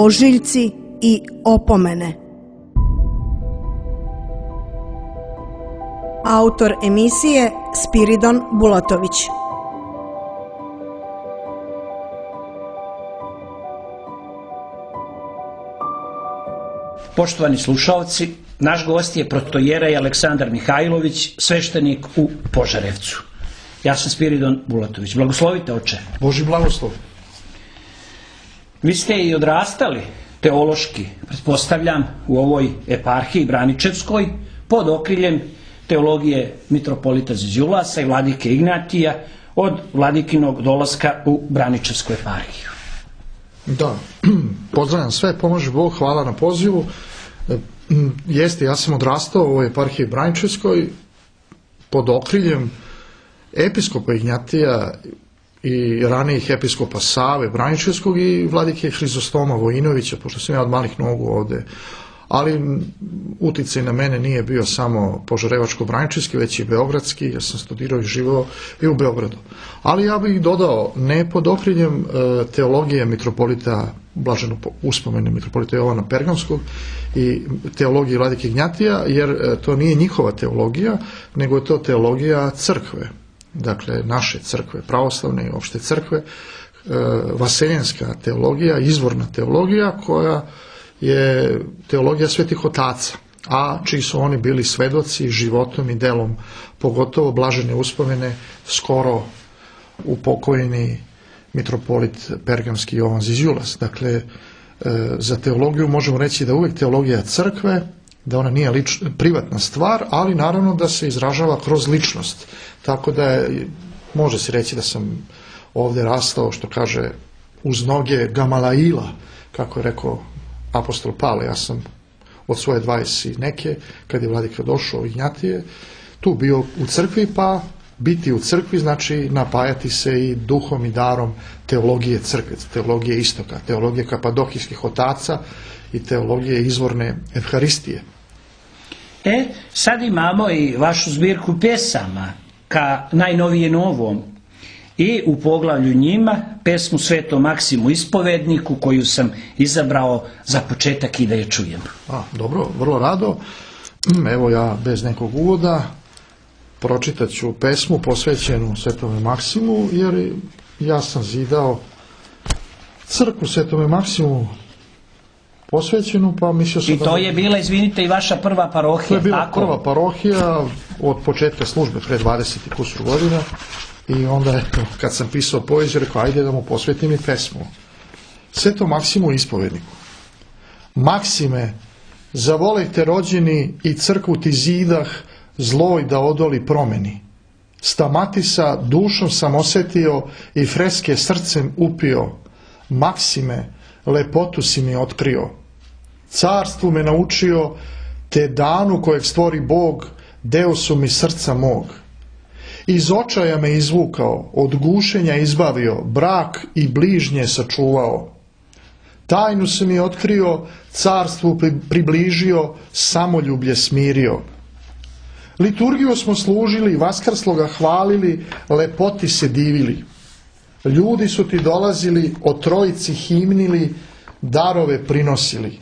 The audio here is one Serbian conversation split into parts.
ožiljci i opomene. Autor emisije Spiridon Bulatović. Poštovani slušalci, naš gost je protojerej Aleksandar Mihajlović, sveštenik u Požarevcu. Ja sam Spiridon Bulatović. Blagoslovite, oče. Boži blagoslov. Vi ste i odrastali teološki, pretpostavljam, u ovoj eparhiji Braničevskoj, pod okriljem teologije mitropolita Zizulasa i vladike Ignatija od vladikinog dolaska u Braničevsku eparhiju. Da, pozdravljam sve, pomoži Bog, hvala na pozivu. Jeste, ja sam odrastao u ovoj eparhiji Braničevskoj pod okriljem episkopa Ignatija i ranijih episkopa Save Braničevskog i vladike Hrizostoma Vojinovića, pošto sam ja od malih nogu ovde. Ali uticaj na mene nije bio samo požarevačko-braničevski, već i beogradski, jer sam studirao i živeo i u Beogradu. Ali ja bih dodao, ne pod okriljem teologije mitropolita, blaženo uspomene mitropolita Jovana Pergamskog i teologije vladike Ignatija, jer to nije njihova teologija, nego je to teologija crkve. Dakle, naše crkve, pravoslavne i opšte crkve, vaseljenska teologija, izvorna teologija koja je teologija svetih otaca, a čiji su oni bili svedoci životom i delom, pogotovo blažene uspomene skoro upokojeni mitropolit Pergamski Jovan Zizulas. Dakle, za teologiju možemo reći da uvek teologija crkve, da ona nije privatna stvar, ali naravno da se izražava kroz ličnost. Tako da može se reći da sam ovde rastao, što kaže, uz noge Gamalaila, kako je rekao apostol Pavle. Ja sam od svoje 20 neke, kad je vladika došao Ignatije, tu bio u crkvi, pa biti u crkvi znači napajati se i duhom i darom teologije crkve, teologije istoka, teologije kapadokijskih otaca i teologije izvorne evharistije. Sad imamo i vašu zbirku pjesama ka najnovijem ovom i u poglavlju njima pesmu Svetom Maksimu Ispovedniku koju sam izabrao za početak i da je čujem. Dobro, vrlo rado. Evo ja bez nekog uvoda pročitat ću pesmu posvećenu Svetome Maksimu, jer ja sam zidao crkvu Svetome Maksimu posvećenu, pa mislio sam I to je bila, izvinite, i vaša prva parohija. To je bila prva parohija od početka službe, pre 20 i kusur godina. I onda, kad sam pisao poeziju, rekao, ajde da mu posvetim i pesmu. Svetom Maksimu Ispovedniku. Maksime, zavolejte rođeni i crkvu ti zidah, zloj da odoli promeni. Stamatisa dušom sam osetio i freske srcem upio. Maksime, lepotu si mi otkrio. Carstvu me naučio, te danu kojeg stvori Bog, deo su mi srca mog. Iz očaja me izvukao, od gušenja izbavio, brak i bližnje sačuvao. Tajnu se mi otkrio, carstvu približio, samoljublje smirio. Liturgiju smo služili, vaskrsloga hvalili, lepoti se divili. Ljudi su ti dolazili, o trojici himnili, darove prinosili.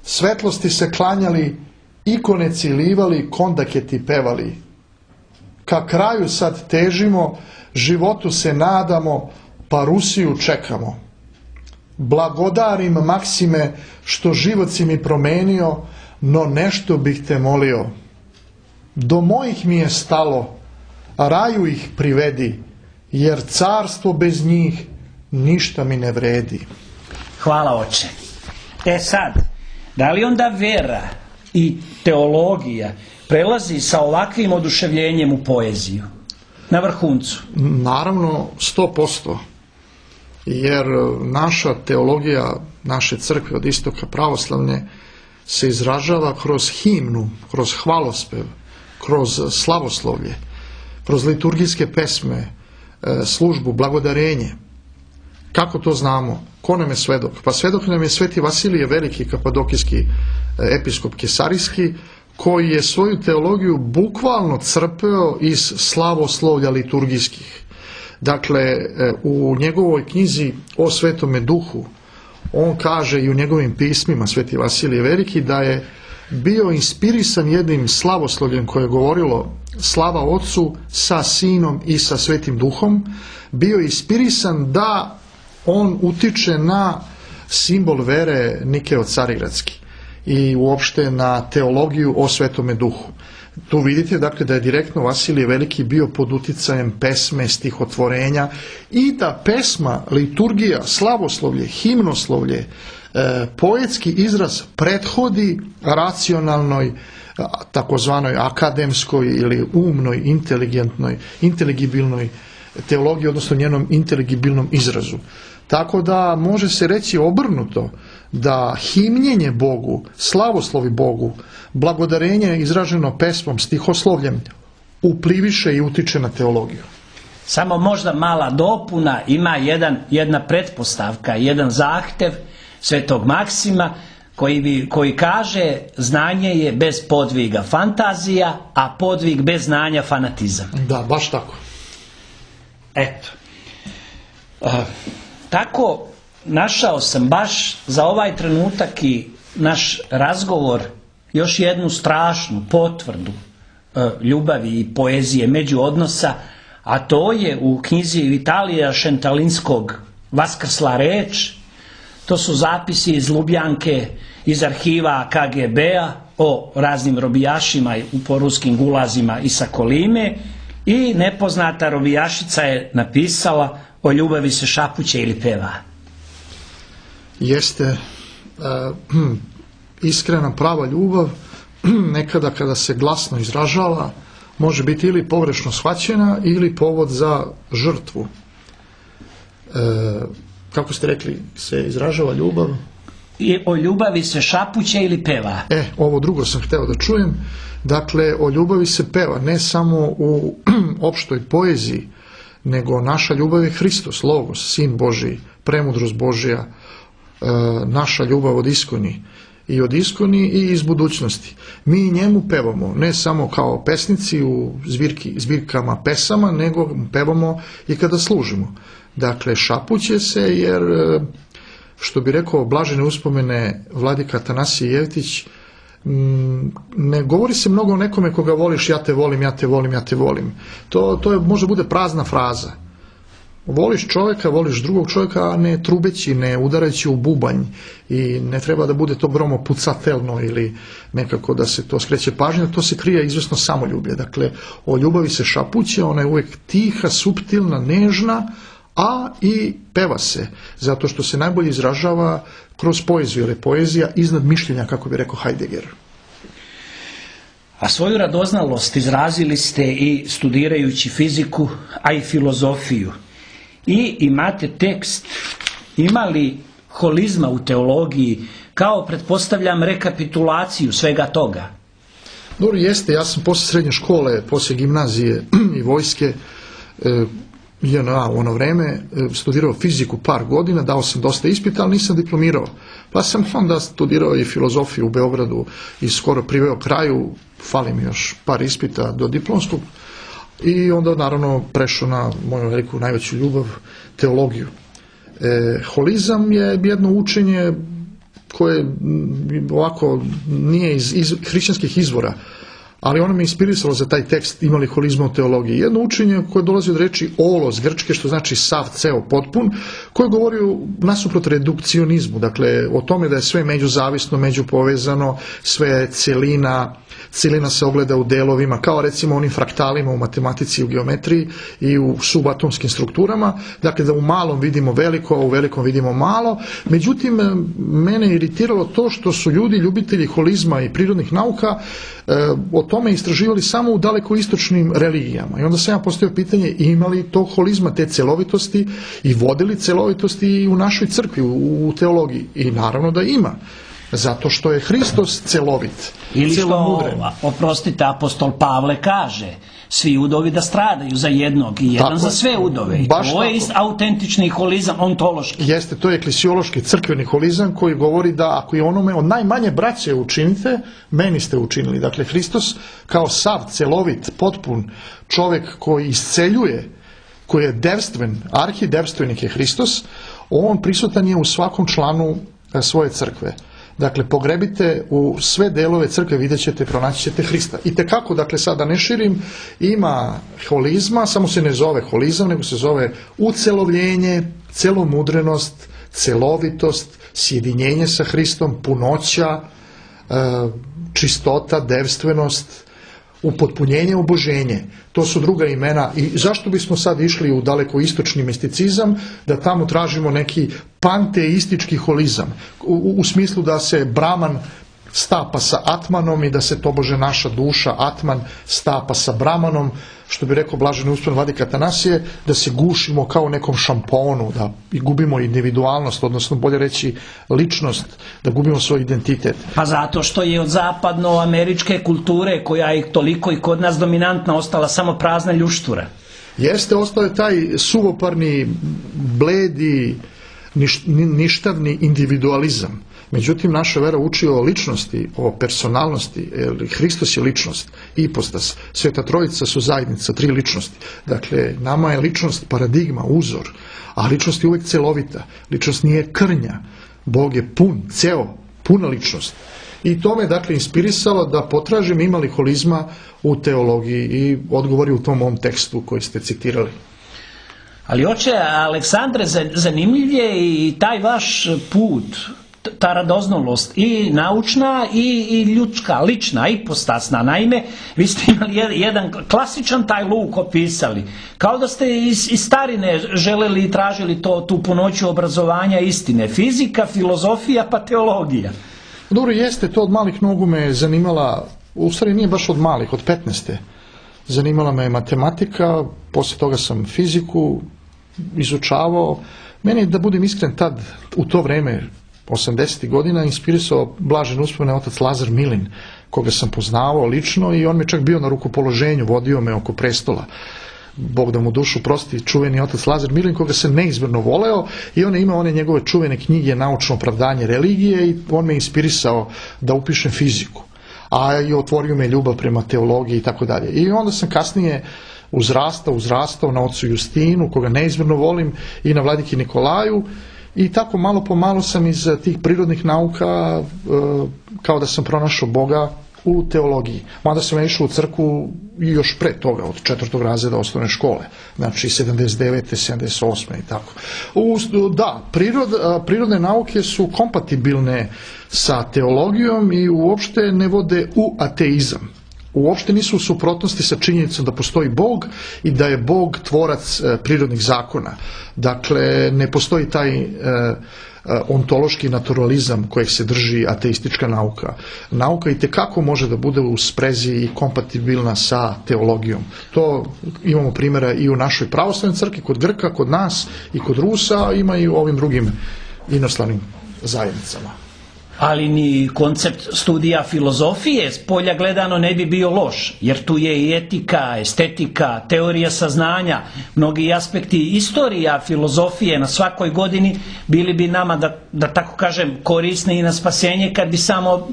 Svetlosti se klanjali, ikone cilivali, kondake ti pevali. Ka kraju sad težimo, životu se nadamo, pa Rusiju čekamo. Blagodarim Maksime, što život si mi promenio, no nešto bih te molio. Do mojih mi je stalo, raju ih privedi, jer carstvo bez njih ništa mi ne vredi. Hvala, oče. Sad, da li onda vera i teologija prelazi sa ovakvim oduševljenjem u poeziju? Na vrhuncu? Naravno, 100%. Jer naša teologija, naše crkve od istoka pravoslavne se izražava kroz himnu, kroz hvalospev, kroz slavoslovlje, kroz liturgijske pesme, službu, blagodarenje. Kako to znamo? Ko nam je svedok? Pa svedok nam je Sveti Vasilije Veliki, kapadokijski episkop Kesarijski, koji je svoju teologiju bukvalno crpeo iz slavoslovlja liturgijskih. Dakle, u njegovoj knjizi o Svetome Duhu, on kaže i u njegovim pismima, Sveti Vasilije Veliki, da je bio inspirisan jednim slavoslovljem koje je govorilo slava Otcu sa Sinom i sa Svetim Duhom, bio je inspirisan da on utiče na simbol vere Nikeo Carigradski i uopšte na teologiju o Svetome Duhu. Tu vidite dakle da je direktno Vasilije Veliki bio pod uticajem pesme, stihotvorenja i da pesma, liturgija, slavoslovlje, himnoslovlje, poetski izraz prethodi racionalnoj, takozvanoj akademskoj ili umnoj, inteligentnoj, inteligibilnoj teologiji, odnosno njenom inteligibilnom izrazu. Tako da može se reći obrnuto da himljenje Bogu, slavoslovi Bogu, blagodarenje izraženo pesmom, stihoslovljem upliviše i utiče na teologiju. Samo možda mala dopuna, ima jedna pretpostavka, jedan zahtev Svetog Maksima koji kaže znanje je bez podviga fantazija, a podvig bez znanja fanatizam. Da, baš tako. Eto. Tako našao sam baš za ovaj trenutak i naš razgovor još jednu strašnu potvrdu ljubavi i poezije međuodnosa, a to je u knjizi Vitalija Šentalinskog Vaskrsla reč. To su zapisi iz Ljubljanke, iz arhiva KGB-a o raznim robijašima po ruskim gulazima i sa Kolime, i nepoznata robijašica je napisala o ljubavi se šapuće ili peva. Jeste iskrena prava ljubav, nekada kada se glasno izražava, može biti ili pogrešno shvaćena ili povod za žrtvu. Kako ste rekli, se izražava ljubav? I o ljubavi se šapuće ili peva. Ovo drugo sam hteo da čujem. Dakle, o ljubavi se peva, ne samo u opštoj poeziji, nego naša ljubav je Hristos, Logos, Sin Božiji, premudrost Božija, naša ljubav od iskoni i iz budućnosti. Mi njemu pevamo, ne samo kao pesnici u zbirkama pesama, nego pevamo i kada služimo. Dakle, šapuće se jer, što bi rekao blažene uspomene vladika Atanasije Jevtić, ne govori se mnogo o nekome koga voliš, ja te volim, ja te volim, ja te volim. To je, može bude prazna fraza. Voliš čovjeka, voliš drugog čovjeka, a ne trubeći, ne udarajući u bubanj, i ne treba da bude to gromopucatelno ili nekako da se to skreće pažnja, to se krije izvesno samoljublje. Dakle, o ljubavi se šapuće, ona je uvijek tiha, suptilna, nežna, a i peva se, zato što se najbolje izražava kroz poeziju, jer je poezija iznad mišljenja, kako bi rekao Heidegger. A svoju radoznalost izrazili ste i studirajući fiziku, a i filozofiju. I imate tekst, ima li holizma u teologiji, kao pretpostavljam rekapitulaciju svega toga? Dobro, jeste, ja sam posle srednje škole, posle gimnazije i vojske, JNA u ono vreme, studirao fiziku par godina, dao sam dosta ispita, ali nisam diplomirao. Pa sam onda studirao i filozofiju u Beogradu i skoro priveo kraju, fali mi još par ispita do diplomskog, i onda naravno prešao na moju veliku najveću ljubav, teologiju. Holizam je jedno učenje koje ovako nije iz hrišćanskih izvora, ali ono me inspirisalo za taj tekst, imali holizma u teologiji. Jedno učenje koje dolazi od reči olos grčke, što znači sav, ceo, potpun, koje govori nasuprot redukcionizmu, dakle o tome da je sve međuzavisno, međupovezano, sve je celina se ogleda u delovima, kao recimo onim fraktalima u matematici i u geometriji i u subatomskim strukturama, dakle da u malom vidimo veliko, a u velikom vidimo malo. Međutim, mene je iritiralo to što su ljudi, ljubitelji holizma i prirodnih nauka, o tome istraživali samo u dalekoistočnim religijama. I onda sam ja postavio pitanje, ima li to holizma, te celovitosti, i vodili celovitosti i u našoj crkvi, u teologiji? I naravno da ima. Zato što je Hristos celovit. Ili što, oprostite, apostol Pavle kaže, svi udovi da stradaju za jednog i jedan za sve udove. I to je autentični holizam, ontološki. Jeste, to je eklesiološki, crkveni holizam koji govori da ako je onome od najmanje braće učinite, meni ste učinili. Dakle, Hristos kao sav, celovit, potpun čovjek koji isceljuje, koji je devstven, arhidevstvenik je Hristos, On prisutan je u svakom članu svoje crkve. Dakle, pogrebite u sve delove crkve, vidjet ćete, pronaći ćete Hrista. I tekako, dakle, sada ne širim, ima holizma, samo se ne zove holizam, nego se zove ucelovljenje, celomudrenost, celovitost, sjedinjenje sa Hristom, punoća, čistota, devstvenost, upotpunjenje, oboženje. To su druga imena. I zašto bismo sad išli u daleko istočni misticizam, da tamo tražimo neki panteistički holizam, u smislu da se Brahman stapa sa Atmanom i da se tobože naša duša, Atman, stapa sa Brahmanom, što bi rekao blaženi uspon vladika Atanasije, da se gušimo kao u nekom šamponu, da i gubimo individualnost, odnosno bolje reći ličnost, da gubimo svoj identitet. Pa zato što je od zapadnoameričke kulture, koja je toliko i kod nas dominantna, ostala samo prazna ljuštura. Jeste, ostao je taj suvoparni, bledi, ništavni individualizam. Međutim, naša vera uči o ličnosti, o personalnosti. Hristos je ličnost, ipostas. Sveta Trojica su zajednica, 3 ličnosti. Dakle, nama je ličnost paradigma, uzor, a ličnost je uvijek celovita. Ličnost nije krnja. Bog je pun, ceo, puna ličnost. I to me, dakle, inspirisalo da potražim ima li holizma u teologiji i odgovori u tom mom tekstu koji ste citirali. Ali oče Aleksandre, zanimljiv je i taj vaš put, ta radoznalost i naučna i ljudska, lična, ipostasna. Naime, vi ste imali jedan klasičan taj luk opisali. Kao da ste iz starine želeli i tražili tu punoću obrazovanja istine. Fizika, filozofija pa teologija. Dobro, jeste, to od malih nogu me zanimala, u stvari nije baš od malih, od 15. Zanimala me matematika, poslije toga sam fiziku izučavao. Meni, da budem iskren, tad, u to vreme, 80. godina, inspirisao blažen uspomene otac Lazar Milin, koga sam poznavao lično i on mi čak bio na rukopoloženju, vodio me oko prestola. Bog da mu dušu prosti, čuveni otac Lazar Milin, koga se neizmjerno voleo, i on je imao one njegove čuvene knjige Naučno opravdanje religije i on me inspirisao da upišem fiziku. A i otvorio me ljubav prema teologiji i tako dalje. I onda sam kasnije uzrastao na ocu Justinu, koga neizmjerno volim, i na vladiki Nikolaju. I tako malo po malo sam iz tih prirodnih nauka, kao da sam pronašao Boga u teologiji. Mada sam išao u crkvu i još pre toga, od 4. razreda osnovne škole. Znači 79. 78. i tako. Da, prirodne nauke su kompatibilne sa teologijom i uopšte ne vode u ateizam. Uopšte nisu u suprotnosti sa činjenicom da postoji Bog i da je Bog tvorac prirodnih zakona. Dakle, ne postoji taj ontološki naturalizam kojeg se drži ateistička nauka. Nauka itekako može da bude u sprezi i kompatibilna sa teologijom. To imamo primjera i u našoj pravoslavnoj crkvi, kod Grka, kod nas i kod Rusa, ima i u ovim drugim inostranim zajednicama. Ali ni koncept studija filozofije s polja gledano ne bi bio loš, jer tu je i etika, estetika, teorija saznanja, mnogi aspekti istorija filozofije na svakoj godini bili bi nama, da tako kažem, korisni i na spasenje kad bi samo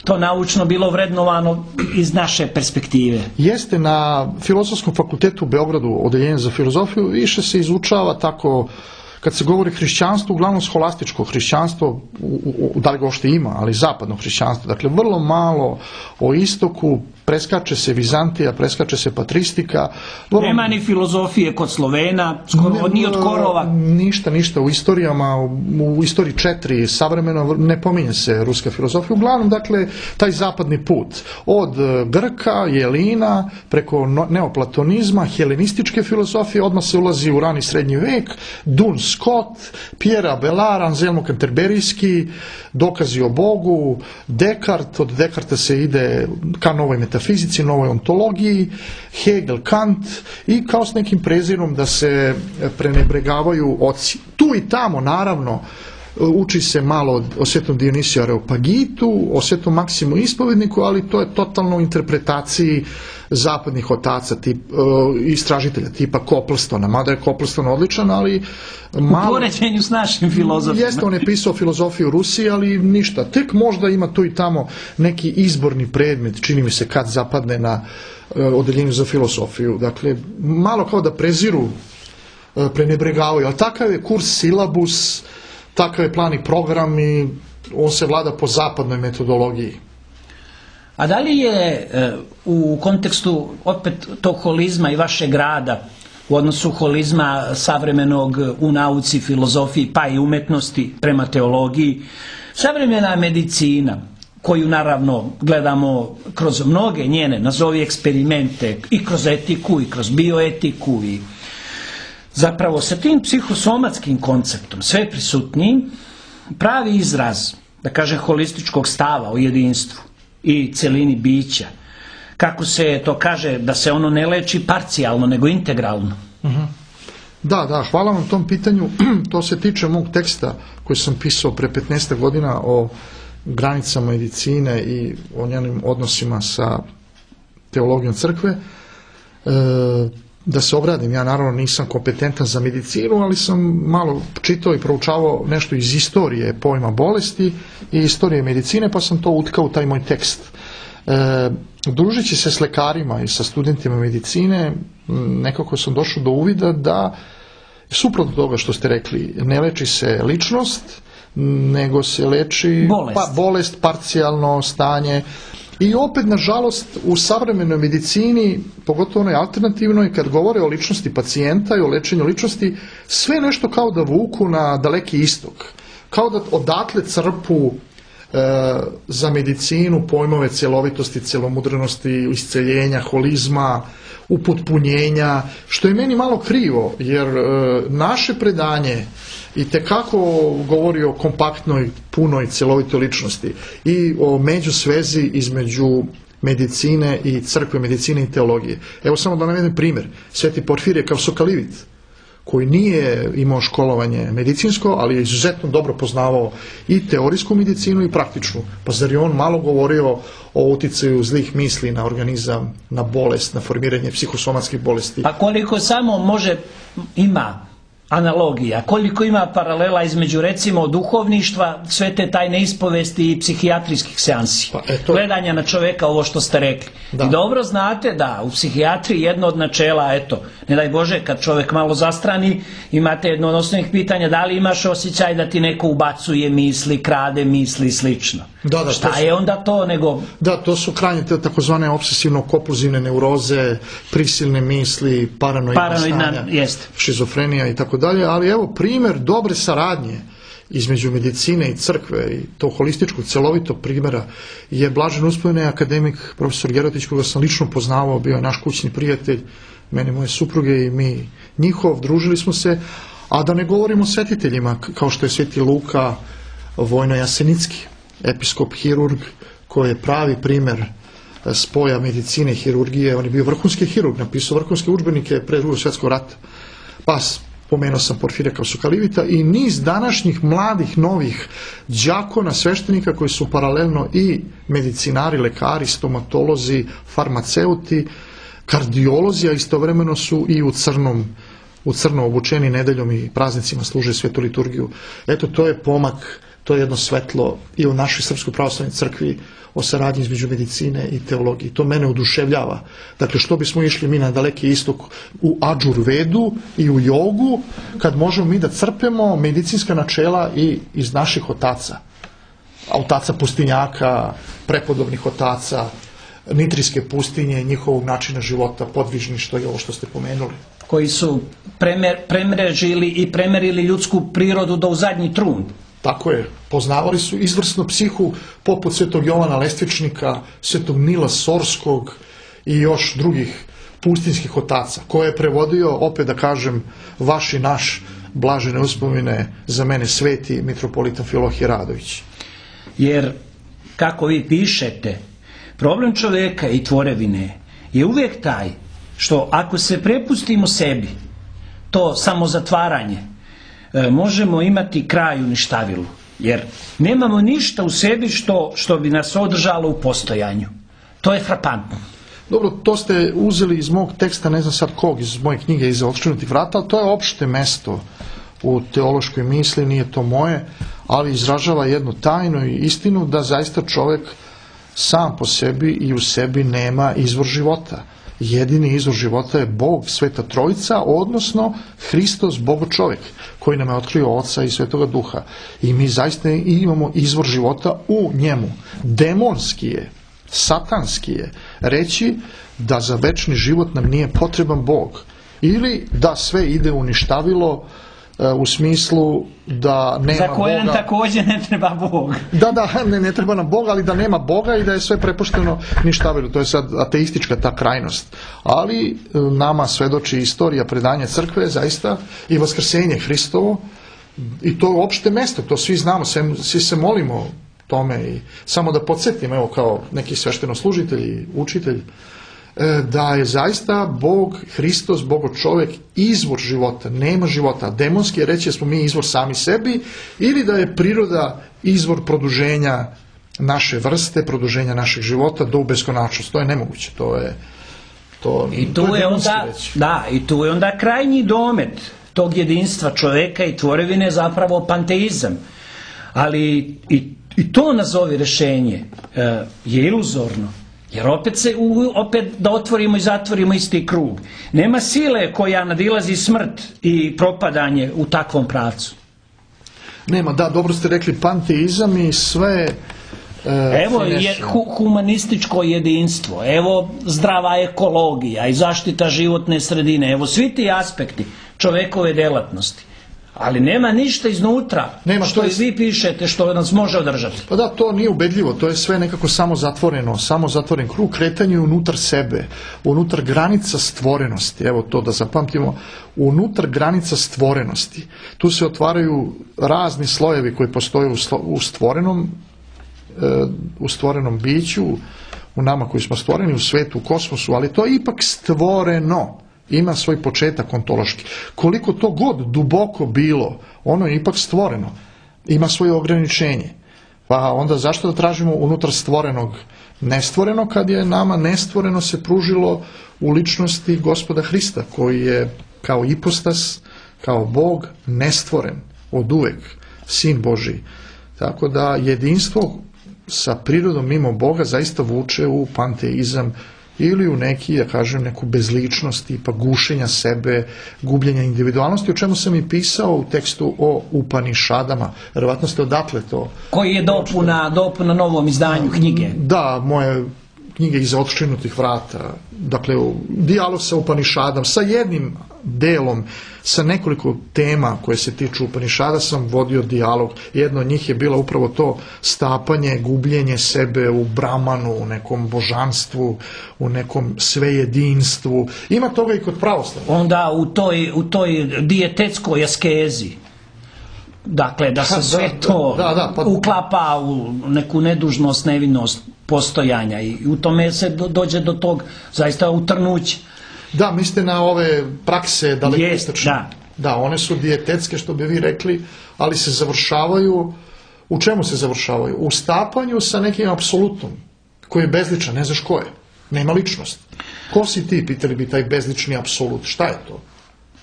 to naučno bilo vrednovano iz naše perspektive. Jeste, na Filozofskom fakultetu u Beogradu, odeljenje za filozofiju, više se izučava tako. Kad se govori hrišćanstvo, uglavnom scholastičko hrišćanstvo, da li ga uopšte ima, ali zapadno hrišćanstvo. Dakle, vrlo malo o istoku, preskače se Vizantija, preskače se patristika. Nema ni filozofije kod Slovena, ni od korova. Ništa u istorijama, u istoriji 4 savremeno ne pominje se ruska filozofija. Uglavnom, dakle, taj zapadni put. Od Grka, Jelina, preko neoplatonizma, helenističke filozofije, odmah se ulazi u rani srednji vek, Duns Scott, Pierre Abelard, Anselmo Canterberijski, dokazi o Bogu, Descartes, od Descartes se ide ka novoj metafizici, novoj ontologiji, Hegel, Kant, i kao s nekim prezirom da se prenebregavaju oci. Tu i tamo, naravno, uči se malo o svetom Dionisiju Areopagitu, o svetom Maksimu Ispovedniku, ali to je totalno u interpretaciji zapadnih otaca, istražitelja tipa Coplestona, mada je Copleston odličan, ali malo... U poređenju s našim filozofima. Jeste, on je pisao filozofiju u Rusiji, ali ništa. Tek možda ima tu i tamo neki izborni predmet, čini mi se, kad zapadne na odeljenju za filozofiju. Dakle, malo kao da preziru prenebregavaju. Ali takav je kurs silabus, takav je plan i program i on se vlada po zapadnoj metodologiji. A da li je u kontekstu opet tog holizma i vašeg rada u odnosu holizma savremenog u nauci, filozofiji pa i umetnosti prema teologiji, savremena medicina koju naravno gledamo kroz mnoge njene, nazovi eksperimente, i kroz etiku, i kroz bioetiku, i zapravo sa tim psihosomatskim konceptom sve prisutniji, pravi izraz, da kažem, holističkog stava o jedinstvu i celini bića, kako se to kaže, da se ono ne leči parcijalno, nego integralno. Da, hvala vam tom pitanju. To se tiče mog teksta koji sam pisao pre 15 godina o granicama medicine i o njenim odnosima sa teologijom crkve. Da se obradim, ja naravno nisam kompetentan za medicinu, ali sam malo čitao i proučavao nešto iz istorije pojma bolesti i istorije medicine, pa sam to utkao u taj moj tekst. Družeći se s lekarima i sa studentima medicine, nekako sam došao do uvida da, suprotno toga što ste rekli, ne leči se ličnost, nego se leči bolest, parcijalno stanje. I opet, nažalost, u savremenoj medicini, pogotovo onoj alternativnoj, kad govore o ličnosti pacijenta i o lečenju ličnosti, sve nešto kao da vuku na daleki istok. Kao da odatle crpu za medicinu pojmove cjelovitosti, cjelomudrenosti, isceljenja, holizma, upotpunjenja, što je meni malo krivo, jer naše predanje itekako govori o kompaktnoj, punoj, cjelovitoj ličnosti i o međusvezi između medicine i crkve, medicine i teologije. Evo samo da navedem primjer. Sveti Porfirije Kavsokalivit, koji nije imao školovanje medicinsko, ali je izuzetno dobro poznavao i teorijsku medicinu i praktičnu. Pa zar je on malo govorio o uticaju zlih misli na organizam, na bolest, na formiranje psihosomatskih bolesti? Pa koliko samo ima analogija, koliko ima paralela između, recimo, duhovništva, sve te tajne ispovesti i psihijatrijskih seansi. Gledanja na čoveka, ovo što ste rekli. Da. I dobro znate da u psihijatriji jedno od načela, ne daj Bože, kad čovek malo zastrani, imate jedno od osnovnih pitanja, da li imaš osjećaj da ti neko ubacuje misli, krade misli i slično. Šta je onda to nego... Da, to su krajnje te takozvane obsesivno-kompulzivne neuroze, prisilne misli, paranoidna stanja, šizofrenija i tako dalje, ali evo primjer dobre saradnje između medicine i crkve i tog holističkog cjelovitog primjera je blažen uspomene akademik profesor Gerotić, koga sam lično poznavao, bio je naš kućni prijatelj, mene, moje supruge i mi njihov, družili smo se, a da ne govorimo o svetiteljima kao što je sveti Luka Vojno-Jasenicki, episkop hirurg, koji je pravi primjer spoja medicine i hirurgije. On je bio vrhunski hirurg, napisao vrhunske udžbenike pre Drugog svjetskog rata. Pa pomenuo sam Porfirija Kavsokalivita i niz današnjih mladih, novih đakona, sveštenika koji su paralelno i medicinari, lekari, stomatolozi, farmaceuti, kardiolozi, a istovremeno su i u crno obučeni, nedeljom i praznicima služe svetu liturgiju. Eto, to je pomak, to je jedno svetlo i u našoj Srpskoj pravoslavnoj crkvi o saradnji između medicine i teologije. To mene oduševljava. Dakle, što bismo išli mi na daleki istok u Adžurvedu i u jogu, kad možemo mi da crpemo medicinska načela i iz naših otaca. Otaca pustinjaka, prepodobnih otaca, Nitrijske pustinje, njihovog načina života, podvižništva i ovo što ste pomenuli. Koji su premrežili i premerili ljudsku prirodu do u zadnji trun. Tako je, poznavali su izvrsnu psihu poput svetog Jovana Lestvičnika, svetog Nila Sorskog i još drugih pustinskih otaca, koje je prevodio, opet da kažem, vaš i naš blažene uspomene, za mene sveti mitropolita Filohije Radović. Jer, kako vi pišete, problem čoveka i tvorevine je uvijek taj što ako se prepustimo sebi, to samozatvaranje, možemo imati kraj uništavilu, jer nemamo ništa u sebi što bi nas održalo u postojanju. To je frapantno. Dobro, to ste uzeli iz mog teksta, ne znam sad kog, iz moje knjige Iza otškrinutih vrata, ali to je opšte mesto u teološkoj misli, nije to moje, ali izražava jednu tajnu i istinu da zaista čovjek sam po sebi i u sebi nema izvor života. jedini izvor života je Bog, Sveta Trojica, odnosno Hristos, Bogo čovjek, koji nam je otkrio Oca i Svetoga Duha. I mi zaista imamo izvor života u njemu. Demonski je, satanski je reći da za večni život nam nije potreban Bog. Ili da sve ide u ništavilo, u smislu da nema Boga. Za koje nam također ne treba Bog. Ne treba nam Boga, ali da nema Boga i da je sve prepušteno ništavilo. To je sad ateistička ta krajnost. Ali nama svedoči istorija predanja crkve zaista i vaskrsenje Hristovo. I to je opšte mesto, to svi znamo, svi se molimo tome. I samo da podsjetim, evo kao neki sveštenoslужitelj, učitelj, da je zaista Bog, Hristos, Bogo čovjek, izvor života, nema života. Demonski je reći da smo mi izvor sami sebi, ili da je priroda izvor produženja naše vrste, produženja našeg života do beskonačnosti. To je nemoguće, I tu je onda krajnji domet tog jedinstva čovjeka i tvorevine zapravo panteizam. Ali i to nazovi rješenje je iluzorno. Jer opet da otvorimo i zatvorimo isti krug. Nema sile koja nadilazi smrt i propadanje u takvom pravcu. Nema, da, dobro ste rekli, panteizam i sve... Evo je humanističko jedinstvo, evo zdrava ekologija i zaštita životne sredine, evo svi ti aspekti čovekove djelatnosti. Ali nema ništa iznutra što i vi pišete što nas može održati. Pa da, to nije ubedljivo, to je sve nekako samo zatvoren krug, kretanje unutar sebe, unutar granica stvorenosti, evo to da zapamtimo, unutar granica stvorenosti. Tu se otvaraju razni slojevi koji postoje u stvorenom biću, u nama koji smo stvoreni, u svetu, u kosmosu, ali to je ipak stvoreno. Ima svoj početak ontološki. Koliko to god duboko bilo, ono je ipak stvoreno. Ima svoje ograničenje. Pa onda zašto da tražimo unutar stvorenog nestvoreno, kad je nama nestvoreno se pružilo u ličnosti Gospoda Hrista, koji je kao ipostas, kao Bog nestvoren od uvek, Sin Božji. Tako da jedinstvo sa prirodom mimo Boga zaista vuče u panteizam ili u neku bezličnost, tipa gušenja sebe, gubljenja individualnosti, o čemu sam i pisao u tekstu o Upanišadama. Vjerovatno ste odatle to... Koji je dopuna novom izdanju knjige. Da, moje knjige Iza otščinutih vrata. Dakle, dijalog sa Upanišadom, sa jednim delom, sa nekoliko tema koje se tiču Upanišada sam vodio dijalog. Jedno od njih je bilo upravo to stapanje, gubljenje sebe u Brahmanu, u nekom božanstvu, u nekom svejedinstvu. Ima toga i kod pravoslavlja. Onda u toj dijetetskoj askezi. Dakle, da se sve to uklapa u neku nedužnost, nevinost postojanja i u tome se dođe do tog zaista utrnuća. Da, mislite na ove prakse dalekoistočne. Da, one su dijetetske, što bi vi rekli, ali se završavaju, u čemu se završavaju? U stapanju sa nekim apsolutom, koji je bezličan, ne znaš ko je, nema ličnost. Ko si ti, pitali bi taj bezlični apsolut, šta je to?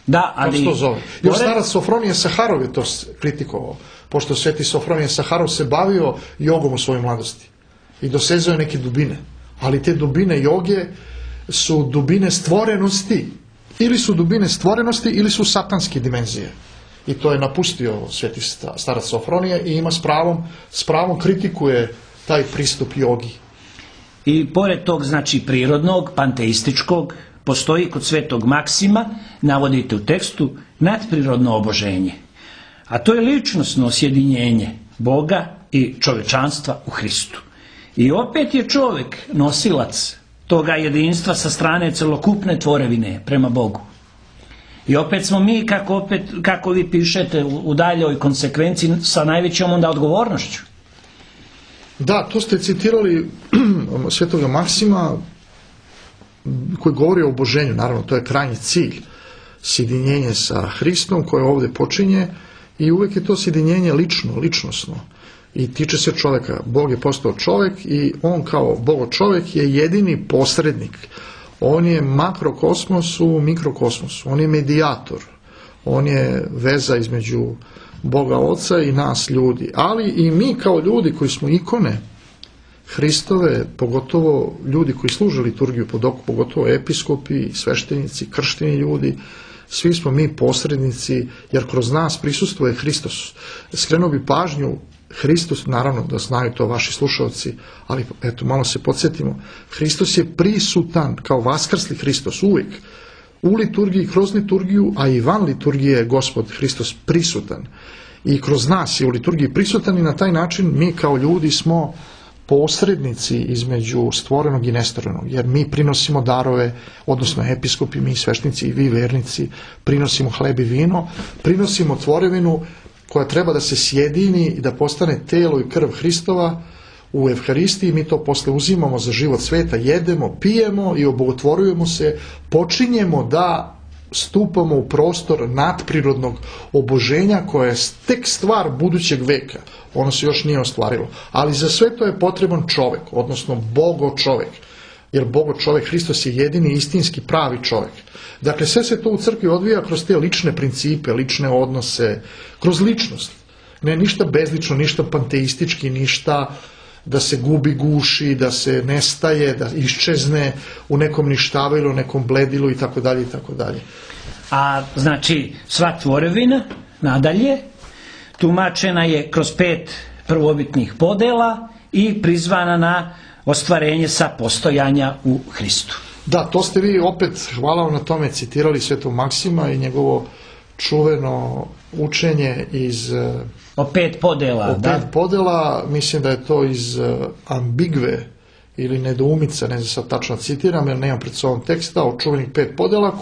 Da, ali... Kako se to zove? Još starac Sofronije Saharov je to kritikovao, pošto sveti Sofronije Saharov se bavio jogom u svojoj mladosti i dosezao je neke dubine, ali te dubine joge su dubine stvorenosti, ili su dubine stvorenosti ili su satanske dimenzije. I to je napustio sveti starac Sofronije i ima s pravom kritikuje taj pristup jogi. I pored tog, znači, prirodnog, panteističkog, postoji kod svetog Maksima, navodite u tekstu, nadprirodno oboženje. A to je ličnosno sjedinjenje Boga i čovečanstva u Hristu. I opet je čovjek nosilac toga jedinstva sa strane celokupne tvorevine prema Bogu. I opet smo mi, kako vi pišete, u daljoj konsekvenciji sa najvećom onda odgovornošću. Da, to ste citirali svetoga Maksima, koji govori o oboženju, naravno to je krajnji cilj, sjedinjenje sa Hristom koje ovdje počinje i uvijek je to sjedinjenje ličnosno i tiče se čovjeka. Bog je postao čovjek i on kao Bogo čovjek je jedini posrednik. On je makrokosmos u mikrokosmosu, on je medijator, on je veza između Boga Oca i nas ljudi, ali i mi kao ljudi koji smo ikone Hristove, pogotovo ljudi koji služe liturgiju pod oku, pogotovo episkopi, sveštenici, kršteni ljudi, svi smo mi posrednici, jer kroz nas prisustvuje Hristos. Skrenuo bi pažnju, Hristos, naravno da znaju to vaši slušalci, ali eto, malo se podsjetimo, Hristos je prisutan kao vaskrsli Hristos uvijek. U liturgiji, kroz liturgiju, a i van liturgije je Gospod Hristos prisutan. I kroz nas je u liturgiji prisutan i na taj način mi kao ljudi smo posrednici između stvorenog i nestvorenog, jer mi prinosimo darove, odnosno episkopi, mi sveštenici i vi vernici, prinosimo hleb i vino, prinosimo tvorevinu koja treba da se sjedini i da postane telo i krv Hristova u Evharistiji. Mi to posle uzimamo za život sveta, jedemo, pijemo i obogotvorujemo se, počinjemo da stupamo u prostor nadprirodnog oboženja koje je tek stvar budućeg veka. Ono se još nije ostvarilo. Ali za sve to je potreban čovek, odnosno Bogo čovek. Jer Bogo čovek, Hristos je jedini istinski pravi čovek. Dakle, sve se to u crkvi odvija kroz te lične principe, lične odnose, kroz ličnost. Ne ništa bezlično, ništa panteistički, ništa da se gubi, guši, da se nestaje, da iščezne u nekom ništavilu, nekom bledilu i tako dalje i tako dalje. A znači sva tvorevina nadalje tumačena je kroz 5 prvobitnih podela i prizvana na ostvarenje sa postojanja u Hristu. Da, to ste vi opet, hvala vam na tome, citirali Svetog Maksima i njegovo čuveno učenje iz... O 5 podela, o 5 podela, mislim da je to iz Ambigve ili Nedoumica, ne znam sad tačno citiram, jer nemam pred sobom teksta, o čuvenih 5 podela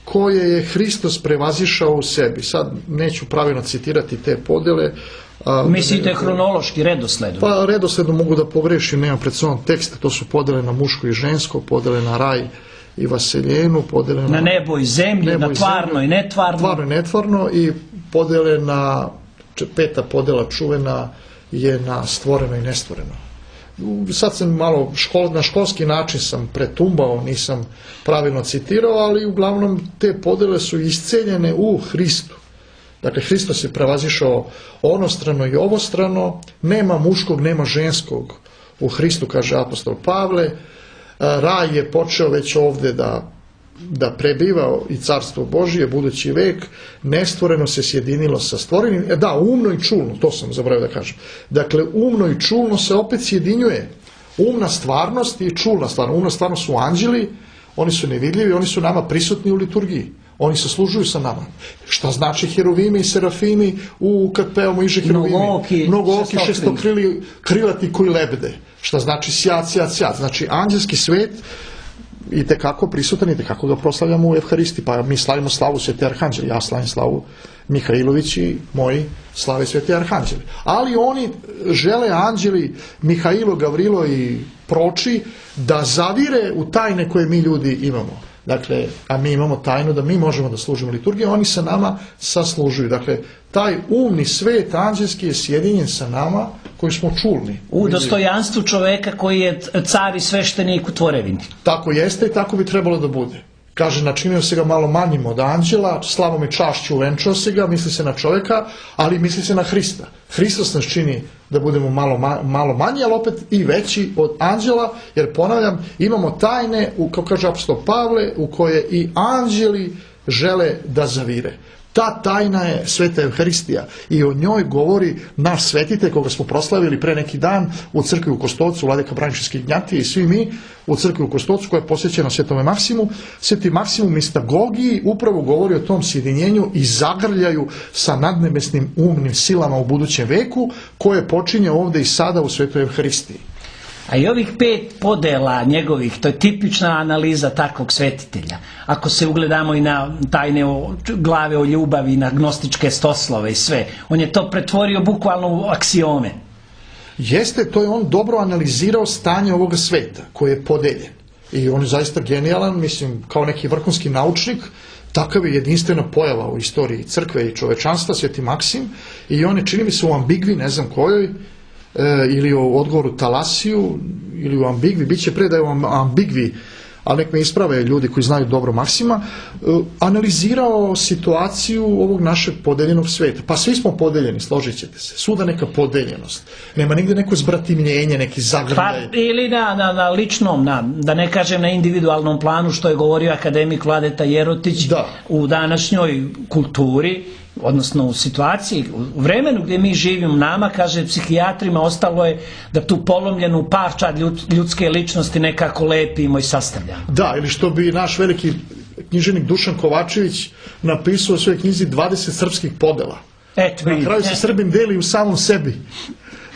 koje je Hristos prevazišao u sebi. Sad neću pravilno citirati te podele. Mislite hronološki redosledom? Pa redosledom mogu da pogrešim, nemam pred sobom teksta, to su podele na muško i žensko, podele na raj i vaseljenu, podele na nebo i zemlju, na tvarno i netvarno. Tvarno i netvarno i podele na, 5. podela čuvena je na stvoreno i nestvoreno. Sad sam malo na školski način sam pretumbao, nisam pravilno citirao, ali uglavnom te podele su isceljene u Hristu. Dakle, Hristos je prevazišao onostrano i ovostrano, nema muškog, nema ženskog u Hristu, kaže apostol Pavle. Raj je počeo već ovde da prebiva i carstvo Božije, budući vek, nestvoreno se sjedinilo sa stvorenim. Da, umno i čulno, to sam zaboravio da kažem. Dakle, umno i čulno se opet sjedinjuje. Umna stvarnost i čulna stvarnost. Umna stvarnost su anđeli, oni su nevidljivi, oni su nama prisutni u liturgiji. Oni se služuju sa nama. Šta znači heruvimi i serafimi kad pevamo iže heruvimi? Mnogooki, šestokrilati koji lebde. Šta znači sjat, sjat, sjat. Znači anđelski svet i tekako prisutan i tekako ga proslavljamo u Evharisti. Pa mi slavimo slavu Sveti Arhanđeli. Ja slavim slavu Mihailović i moji slave Sveti Arhanđeli. Ali oni žele, anđeli Mihailo, Gavrilo i proči, da zavire u tajne koje mi ljudi imamo. Dakle, a mi imamo tajnu da mi možemo da služimo liturgiju, oni sa nama saslužuju. Dakle, taj umni svet anđelski je sjedinjen sa nama koji smo čulni. U dostojanstvu čoveka koji je car i sveštenik u tvorevini. Tako jeste i tako bi trebalo da bude. Kaže, načinio se ga malo manjim od anđela, slavom i čašću uvenčao se ga, misli se na čoveka, ali misli se na Hrista. Hristos nas čini da budemo malo manji, ali opet i veći od anđela, jer ponavljam, imamo tajne, kao kaže apostol Pavle, u koje i anđeli žele da zavire. Ta tajna je Sveta Evharistija i o njoj govori naš svetitelj koga smo proslavili pre neki dan u crkvi u Kostolcu, vladika Braničevske Ignjatije i svi mi u crkvi u Kostolcu koja je posvećena Svetome Maksimu. Sveti Maksimum Mistagogiji upravo govori o tom sjedinjenju i zagrljaju sa nadnebesnim umnim silama u budućem veku koje počinje ovde i sada u Svetoj Evharistiji. A i ovih 5 podela njegovih, to je tipična analiza takvog svetitelja. Ako se ugledamo i na tajne glave o ljubavi, na gnostičke stoslove i sve, on je to pretvorio bukvalno u aksiome. Jeste, to je on dobro analizirao stanje ovoga sveta koji je podeljen. I on je zaista genijalan, mislim, kao neki vrhunski naučnik, takav je jedinstvena pojava u istoriji crkve i čovečanstva, Sveti Maksim, i on je, čini mi se, u Ambigvi, ne znam kojoj, ili u odgovoru Talasiju ili u Ambigvi, bit će predaje u Ambigvi ali nek me isprave ljudi koji znaju dobro Maksima, analizirao situaciju ovog našeg podeljenog sveta. Pa svi smo podeljeni, složit ćete se. Svuda neka podeljenost. Nema nigde neko zbratimljenje, neki zagrljaj. Pa ili na ličnom, da ne kažem na individualnom planu, što je govorio akademik Vladeta Jerotić, u današnjoj kulturi, odnosno u situaciji, u vremenu gdje mi živimo, nama, kaže, psihijatrima ostalo je da tu polomljenu parčad ljudske ličnosti nekako lepimo i sastavljamo. Da, ili što bi naš veliki književnik Dušan Kovačević napisao u svojoj knjizi 20 srpskih podela. Na kraju se Srbin deli u samom sebi.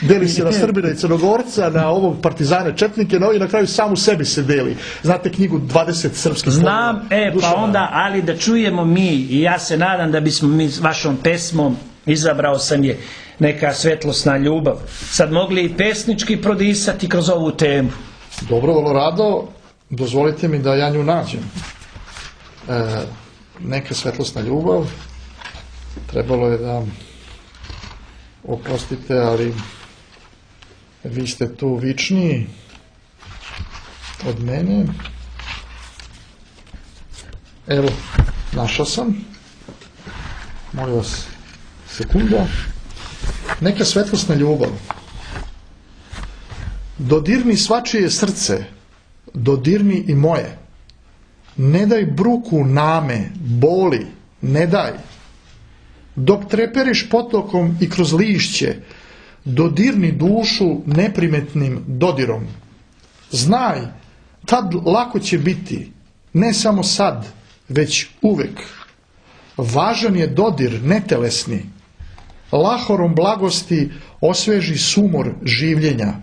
Deli se na Srbina i Crnogorca, na ovog partizane Četnike, i na kraju sam u sebi se deli. Znate knjigu 20 srpskih podela? Znam, pa onda, ali da čujemo mi, i ja se nadam da bismo mi s vašom pesmom, izabrao sam je, neka svetlosna ljubav, sad mogli i pesnički prodisati kroz ovu temu. Dobro, vrlo rado, dozvolite mi da ja nju nađem. Neka svetlosna ljubav, trebalo je da, oprostite, ali vi ste tu vičniji od mene. Evo, našao sam. Molim vas, sekunda. Neka svetlosna ljubav. Dodirni svačije srce, dodirni i moje. Ne daj bruku name, boli, ne daj. Dok treperiš potokom i kroz lišće, dodirni dušu neprimetnim dodirom. Znaj, tad lako će biti, ne samo sad, već uvek. Važan je dodir netelesni. Lahorom blagosti osveži sumor življenja.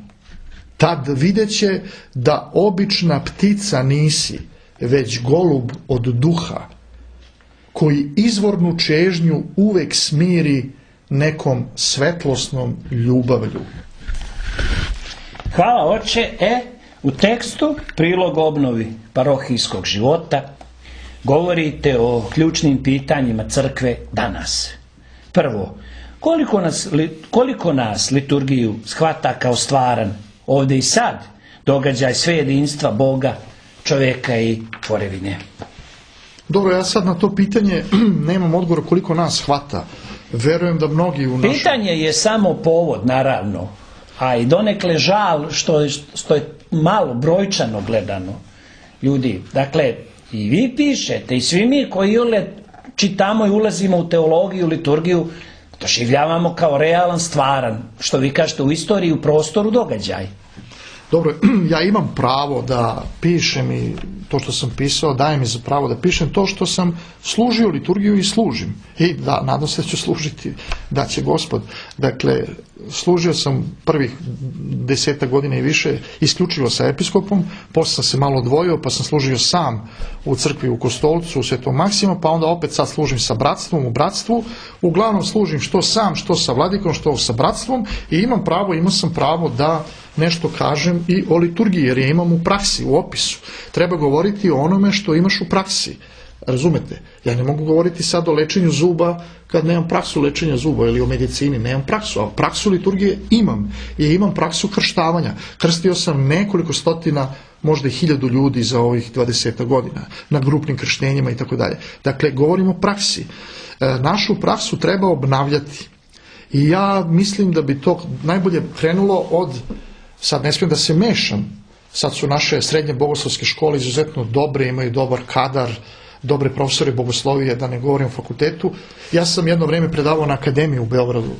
Tad videće da obična ptica nisi, već golub od duha, koji izvornu čežnju uvek smiri nekom svetlosnom ljubavlju. Hvala, oče. U tekstu Prilog obnovi parohijskog života govorite o ključnim pitanjima crkve danas. Prvo, koliko nas liturgiju shvata kao stvaran ovdje i sad događaj sve jedinstva Boga, čovjeka i tvorevine? Dobro, ja sad na to pitanje nemam odgovora koliko nas hvata. Verujem da mnogi u našem... Pitanje je samo povod, naravno, a i donekle žal što je malo brojčano gledano ljudi. Dakle, i vi pišete i svi mi koji čitamo i ulazimo u teologiju, liturgiju, doživljavamo kao realan, stvaran, što vi kažete, u istoriji, u prostoru događaj. Dobro, ja imam pravo da pišem i to što sam pisao daje mi za pravo da pišem to što sam služio liturgiju i služim. I da, nadam se da ću služiti, da će Gospod. Dakle, služio sam prvih 10 godina i više isključivo sa episkopom, posle sam se malo odvojio, pa sam služio sam u crkvi u Kostolcu, u Svetom Maksimu, pa onda opet sad služim sa bratstvom, u bratstvu. Uglavnom služim što sam, što sa vladikom, što sa bratstvom i imao sam pravo da nešto kažem i o liturgiji, jer je imam u praksi, u opisu. Treba govoriti o onome što imaš u praksi. Razumete? Ja ne mogu govoriti sad o lečenju zuba kad nemam praksu lečenja zuba ili o medicini, nemam praksu, a praksu liturgije imam. I imam praksu krštavanja. Krstio sam nekoliko stotina, možda i 1000 ljudi za ovih 20 godina, na grupnim krštenjima i tako dalje. Dakle, govorimo o praksi. Našu praksu treba obnavljati. I ja mislim da bi to najbolje krenulo od, sad ne smijem da se mešam, sad su naše srednje bogoslovske škole izuzetno dobre, imaju dobar kadar, dobre profesore bogoslovije, da ne govorim o fakultetu. Ja sam jedno vrijeme predavao na akademiji u Beogradu,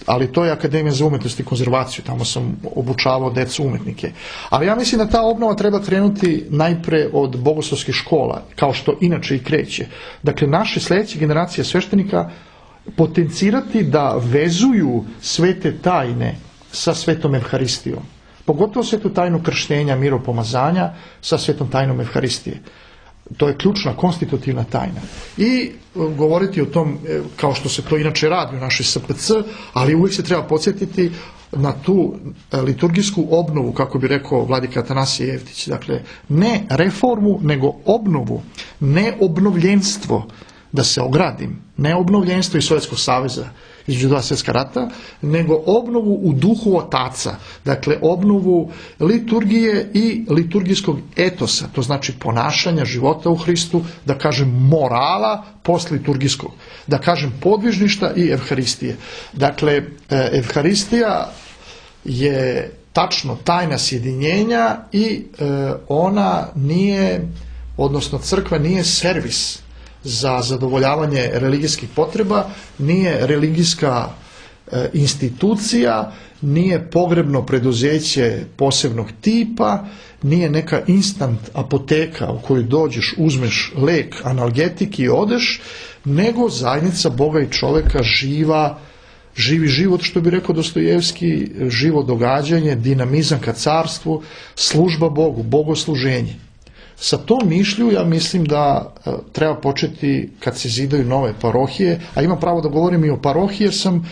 ali to je Akademija za umetnost i konzervaciju, tamo sam obučavao decu umetnike. Ali ja mislim da ta obnova treba krenuti najpre od bogoslovskih škola, kao što inače i kreće. Dakle, naše sljedeće generacije sveštenika potencirati da vezuju svete tajne sa svetom Evharistijom. Pogotovo svetu tajnu krštenja, miropomazanja sa svetom tajnom Evharistije. To je ključna, konstitutivna tajna. I govoriti o tom, kao što se to inače radi u našoj SPC, ali uvijek se treba podsjetiti na tu liturgijsku obnovu, kako bi rekao vladika Atanasije Jevtić. Dakle, ne reformu, nego obnovu, ne obnovljenstvo. da se ogradim, ne obnovljenstvo iz Sovjetskog saveza između dva svjetska rata, nego obnovu u duhu otaca, dakle obnovu liturgije i liturgijskog etosa, to znači ponašanja života u Hristu, da kažem morala postliturgijskog, da kažem podvižništa i evharistije. Dakle, evharistija je tačno tajna sjedinjenja i ona nije, odnosno crkva nije servis za zadovoljavanje religijskih potreba, nije religijska institucija, nije pogrebno preduzeće posebnog tipa, nije neka instant apoteka u kojoj dođeš, uzmeš lek, analgetik i odeš, nego zajednica Boga i čovjeka živi život, što bi rekao Dostojevski, živo događanje, dinamizam ka carstvu, služba Bogu, bogosluženje. Sa tom mišlju ja mislim da treba početi kad se zidaju nove parohije, a imam pravo da govorim i o parohiji jer sam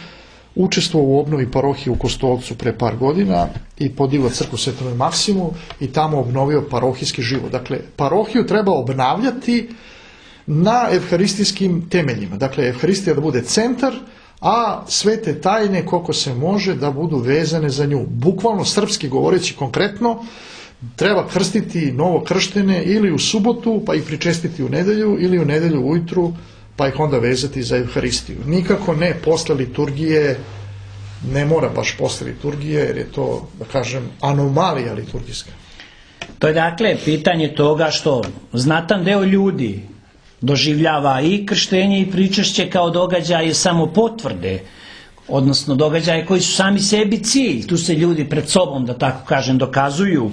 učestvovao u obnovi parohije u Kostolcu pre par godina i podigao crkvu Svetom Maksimu i tamo obnovio parohijski život. Dakle, parohiju treba obnavljati na evharistijskim temeljima. Dakle, evharistija da bude centar, a sve te tajne koliko se može da budu vezane za nju. Bukvalno srpski govoreći konkretno, treba krstiti novokrštene ili u subotu pa ih pričestiti u nedelju ili u nedelju ujutru pa ih onda vezati za evharistiju. Nikako ne posle liturgije, ne mora baš posle liturgije jer je to, da kažem, anomalija liturgijska. To je dakle pitanje toga što znatan deo ljudi doživljava i krštenje i pričešće kao događaje samo potvrde, odnosno događaje koji su sami sebi cilj. Tu se ljudi pred sobom, da tako kažem, dokazuju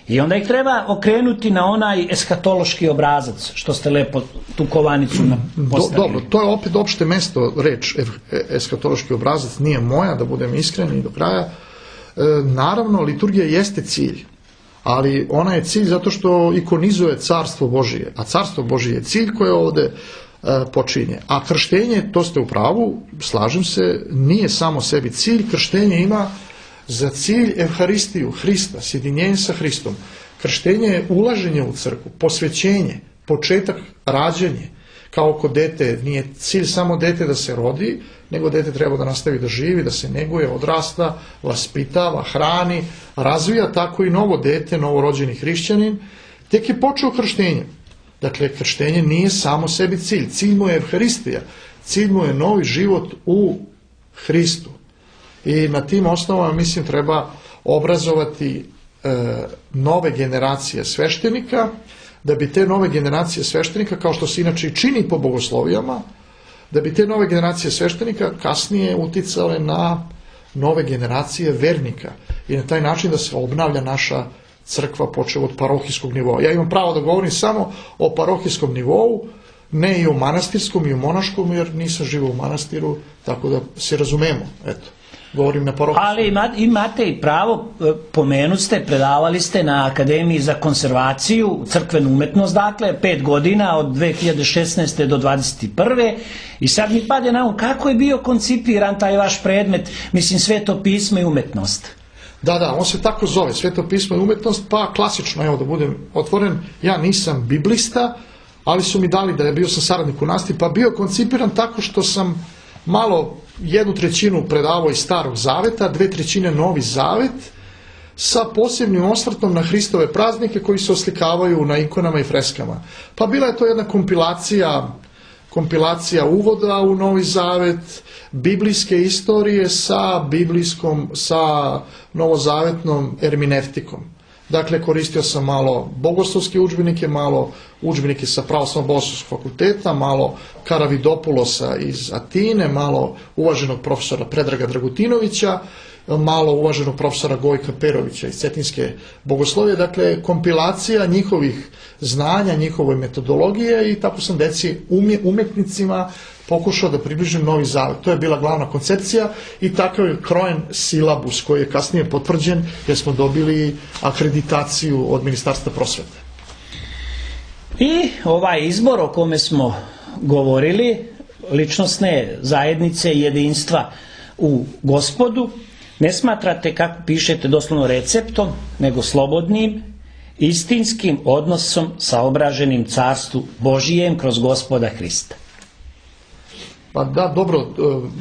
i onda ih treba okrenuti na onaj eskatološki obrazac, što ste lepo tu kovanicu postavili. Dobro, to je opet opšte mesto reč, eskatološki obrazac nije moja, da budem iskren i do kraja. Naravno, liturgija jeste cilj, ali ona je cilj zato što ikonizuje carstvo Božije, a carstvo Božije je cilj koje ovde počinje. A krštenje, to ste u pravu, slažem se, nije samo sebi cilj, krštenje ima za cilj evharistiju Hrista, sjedinjenje sa Hristom. Krštenje je ulaženje u crkvu, posvećenje, početak rađenje. Kao kod dete, nije cilj samo dete da se rodi, nego dete treba da nastavi da živi, da se neguje, odrasta, vaspitava, hrani, razvija, tako i novo dete, novorođeni hrišćanin, tek je počeo krštenjem. Dakle, krštenje nije samo sebi cilj. Cilj mu je evharistija, cilj mu je novi život u Hristu. I na tim osnovama, mislim, treba obrazovati nove generacije sveštenika, da bi te nove generacije sveštenika, kao što se inače i čini po bogoslovijama, da bi te nove generacije sveštenika kasnije uticale na nove generacije vernika i na taj način da se obnavlja naša crkva počev od parohijskog nivoa. Ja imam pravo da govorim samo o parohijskom nivou, ne i o manastirskom i o monaškom, jer nisam živio u manastiru, tako da se razumemo, eto. Govorim na parohijskom. Ali imate i pravo, pomenut ste, predavali ste na Akademiji za konzervaciju, crkvenu umetnost, dakle, 5 godina od 2016. do 2021. I sad mi pade na um kako je bio koncipiran taj vaš predmet, mislim, Sveto pismo i umetnost. Da, on se tako zove, Sveto pismo i umetnost, pa klasično, evo da budem otvoren, ja nisam biblista, ali su mi dali da je bio sam saradnik u nastavi, pa bio koncipiran tako što sam malo 1/3 predavao iz Starog zaveta, 2/3 Novi zavet, sa posebnim osvrtom na Hristove praznike koji se oslikavaju na ikonama i freskama. Pa bila je to jedna kompilacija uvoda u Novi zavet, biblijske istorije sa novozavetnom erminevtikom. Dakle, koristio sam malo bogoslovske udžbenike, malo udžbenike sa Pravoslavnog bogoslovskog fakulteta, malo Karavidopulosa iz Atine, malo uvaženog profesora Predraga Dragutinovića, malo uvaženog profesora Gojka Perovića iz Cetinske bogoslovije. Dakle, kompilacija njihovih znanja, njihove metodologije i tako sam deci umetnicima pokušao da približim Novi zavet. To je bila glavna koncepcija i takav je krojen silabus koji je kasnije potvrđen jer smo dobili akreditaciju od Ministarstva prosvete. I ovaj izbor o kome smo govorili, ličnosne zajednice i jedinstva u Gospodu, ne smatrate, kako pišete, doslovno receptom, nego slobodnim, istinskim odnosom sa obraženim carstvu Božijem kroz Gospoda Hrista. Pa da, dobro,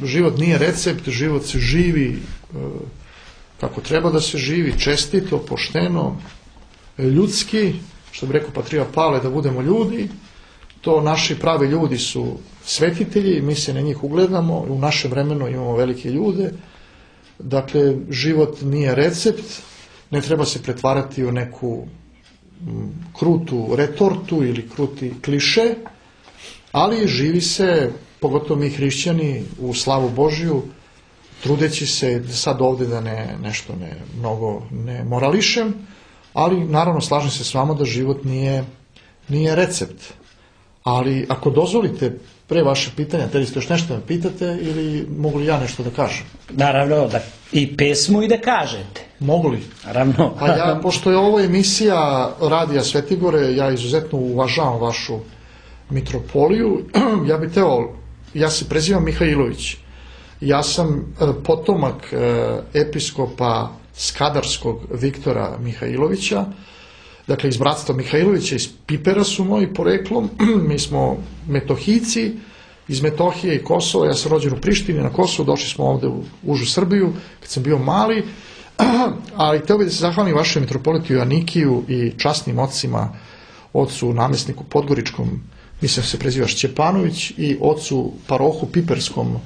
život nije recept, život se živi kako treba da se živi, čestito, pošteno, ljudski, što bi rekao Patrija Pavle, da budemo ljudi. To naši pravi ljudi su svetitelji, mi se na njih ugledamo, u našem vremenu imamo velike ljude. Dakle, život nije recept, ne treba se pretvarati u neku krutu retortu ili kruti kliše, ali živi se, pogotovo mi hrišćani, u slavu Božju, trudeći se sad ovdje da nešto mnogo ne morališem, ali naravno slažem se s vama da život nije recept. Ali ako dozvolite, pre vaše pitanja, te li ste još nešto me pitate ili mogu li ja nešto da kažem? Naravno, da i pesmu i da kažete. Mogu li? Naravno. Pa ja, pošto je ovo emisija Radija Svetigore, ja izuzetno uvažavam vašu mitropoliju, ja bih teo, ja se prezivam Mihajlović. Ja sam potomak episkopa Skadarskog Viktora Mihajlovića, dakle iz bratstva Mihajlovića, iz Pipera su moji poreklom, mi smo Metohijci, iz Metohije i Kosova, ja sam rođen u Prištini na Kosovu, došli smo ovde u užu Srbiju kad sam bio mali, ali hteo bih da se zahvalim vašem mitropolitu Joanikiju i časnim ocima, ocu namestniku Podgoričkom, mislim se preziva Šćepanović, i ocu parohu Piperskom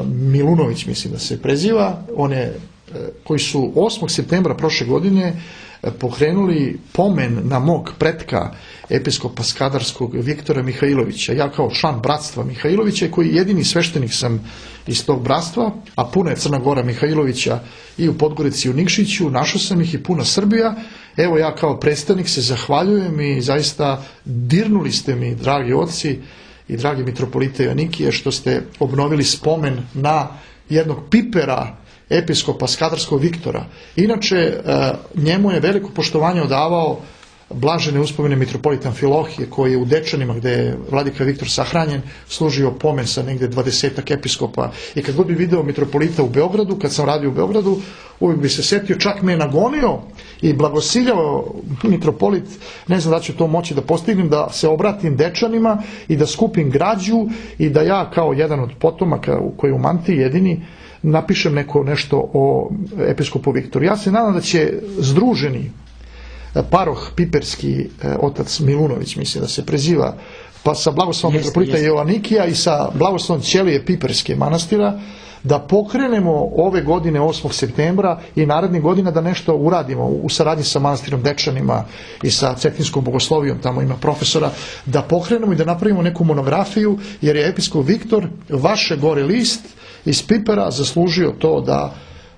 Milunović, mislim da se preziva, koji su 8. septembra prošle godine pokrenuli pomen na mog pretka episkopa Skadarskog Viktora Mihajlovića. Ja kao član bratstva Mihajlovića, koji jedini sveštenik sam iz tog bratstva, a puna je Crna Gora Mihajlovića i u Podgorici i u Nikšiću, našao sam ih i puna Srbija. Evo ja kao predstavnik se zahvaljujem i zaista dirnuli ste mi, dragi oci i dragi mitropolite Joanikije, što ste obnovili spomen na jednog Pipera, episkopa Skadarskog Viktora. Inače, njemu je veliko poštovanje odavao blažene uspomene mitropolita Amfilohije, koji je u Dečanima, gde je vladika Viktor sahranjen, služio pomen sa negde 20 episkopa. I kad god bi video mitropolita u Beogradu, kad sam radio u Beogradu, uvijek bi se setio, čak me je nagonio i blagosiljao mitropolit, ne znam da ću to moći da postignem, da se obratim Dečanima i da skupim građu i da ja kao jedan od potomaka koji je u mantiji jedini napišem nešto o episkopu Viktoru. Ja se nadam da će združeni paroh piperski, otac Milunović, mislim da se preziva, pa sa blagoslovom mitropolita Joanikija i sa blagoslovom Ćelije Piperske manastira, da pokrenemo ove godine 8. septembra i narednih godina da nešto uradimo u saradnji sa manastirom Dečanima i sa Cetinskom bogoslovijom, tamo ima profesora, da pokrenemo i da napravimo neku monografiju, jer je episkop Viktor, vaše gore list iz Pipera, zaslužio to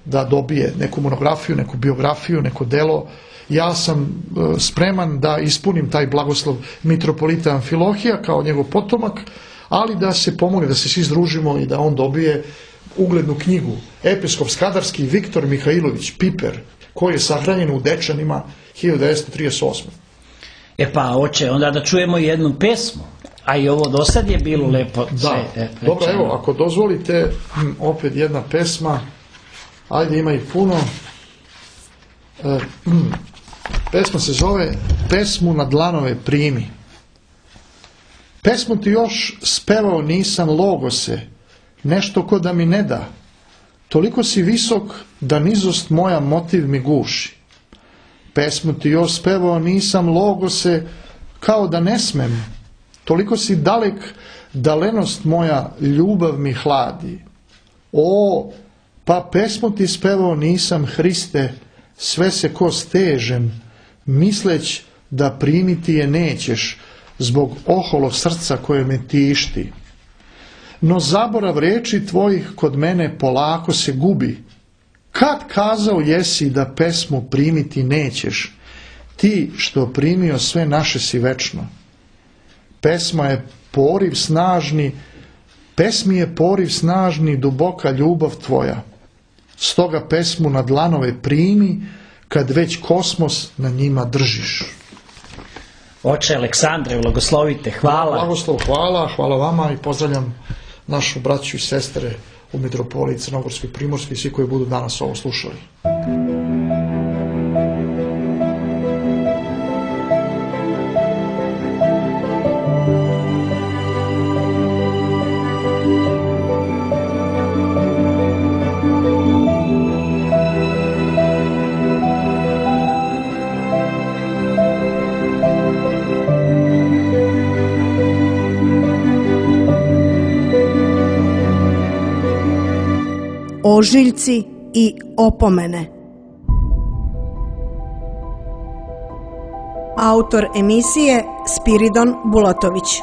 da dobije neku monografiju, neku biografiju, neko delo. Ja sam spreman da ispunim taj blagoslov mitropolita Amfilohija kao njegov potomak, ali da se pomogne, da se svi združimo i da on dobije uglednu knjigu. Episkop Skadarski Viktor Mihajlović Piper, koji je sahranjen u Dečanima 1938. E pa, oče, onda da čujemo jednu pesmu. A i ovo do sad je bilo lepo. Da, dobro, evo, ako dozvolite, opet jedna pesma. Ajde, ima ih puno. Pesma se zove Pesmu na dlanove primi. Pesmu ti još spevao nisam, Logose, nešto ko da mi ne da. Toliko si visok da nizost moja motiv mi guši. Pesmu ti još spevao nisam, Logose, kao da ne smem. Toliko si dalek da lenost moja ljubav mi hladi. O, pa pesmu ti spevao nisam, Hriste, sve se ko stežem, misleć da primiti je nećeš, zbog oholo srca koje me tišti. No zaborav reči tvojih kod mene polako se gubi. Kad kazao jesi da pesmu primiti nećeš, ti što primio sve naše si večno. Pesmi je poriv snažni, duboka ljubav tvoja. Stoga pesmu na dlanove primi, kad već kosmos na njima držiš. Oče Aleksandre, blagoslovite, hvala. Blagoslov, hvala vama i pozdravljam našu braću i sestre u mitropoliji Crnogorskoj, Primorskoj i svi koji budu danas ovo slušali. ožiljci i opomene. Autor emisije Spiridon Bulatović.